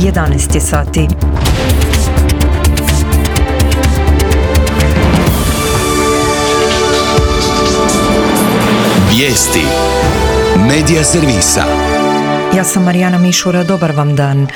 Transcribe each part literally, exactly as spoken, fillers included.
jedanaest je sati. Vijesti Medija servisa. Ja sam Marijana Mišura, dobar vam dan.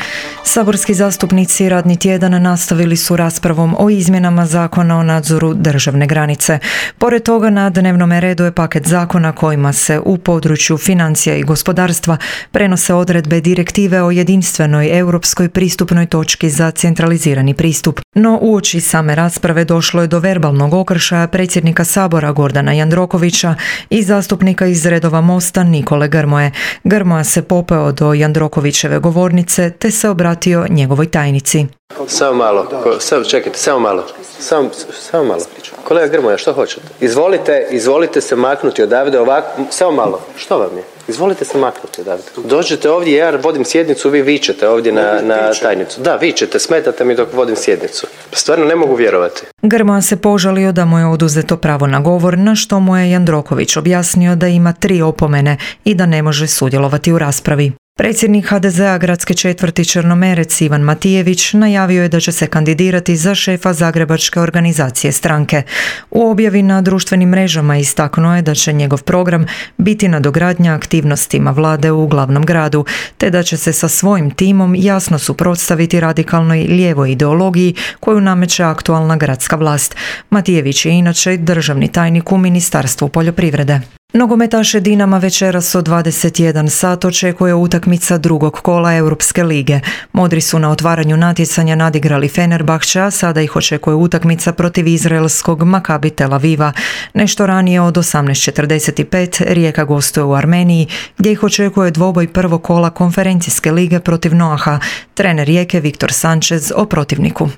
Saborski zastupnici radni tjedan nastavili su raspravom o izmjenama zakona o nadzoru državne granice. Pored toga na dnevnom redu je paket zakona kojima se u području financija i gospodarstva prenose odredbe direktive o jedinstvenoj europskoj pristupnoj točki za centralizirani pristup. No uoči same rasprave došlo je do verbalnog okršaja predsjednika Sabora Gordana Jandrokovića i zastupnika iz redova Mosta Nikole Grmoje. Grmoja se popeo do Jandrokovićeve govornice te se obratio njegovoj tajnici. Samo malo, samo, čekajte, samo malo, samo, samo malo. Kolega Grmoja, što hoćete? Izvolite, izvolite se maknuti odavde ovako, samo malo, što vam je? Izvolite se maknuti odavde. Dođete ovdje, ja vodim sjednicu, vi vičete ovdje na, na tajnicu. Da, vičete, smetate mi dok vodim sjednicu. Stvarno ne mogu vjerovati. Grmoja se požalio da mu je oduzeto pravo na govor, na što mu je Jandroković objasnio da ima tri opomene i da ne može sudjelovati u raspravi. Predsjednik ha de zea gradske četvrti Črnomerec Ivan Matijević najavio je da će se kandidirati za šefa zagrebačke organizacije stranke. U objavi na društvenim mrežama istaknuo je da će njegov program biti nadogradnja aktivnostima vlade u glavnom gradu, te da će se sa svojim timom jasno suprotstaviti radikalnoj lijevoj ideologiji koju nameće aktualna gradska vlast. Matijević je inače državni tajnik u Ministarstvu poljoprivrede. Nogometaše Dinama večeras od dvadeset jedan sat očekuje utakmica drugog kola Europske lige. Modri su na otvaranju natjecanja nadigrali Fenerbahče, a sada ih očekuje utakmica protiv izraelskog Maccabi Tel Aviva. Nešto ranije od osamnaest četrdeset pet Rijeka gostuje u Armeniji, gdje ih očekuje dvoboj prvog kola konferencijske lige protiv Noaha. Trener Rijeke Viktor Sanchez o protivniku.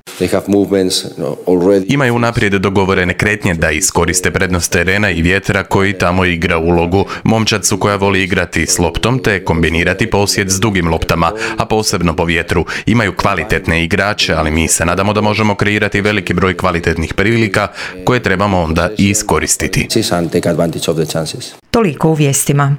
Imaju unaprijed dogovorene kretnje da iskoriste prednost terena i vjetra koji tamo igra ulogu. Momčad su koja voli igrati s loptom te kombinirati posjed s dugim loptama, a posebno po vjetru. Imaju kvalitetne igrače, ali mi se nadamo da možemo kreirati veliki broj kvalitetnih prilika koje trebamo onda i iskoristiti. Toliko u vijestima.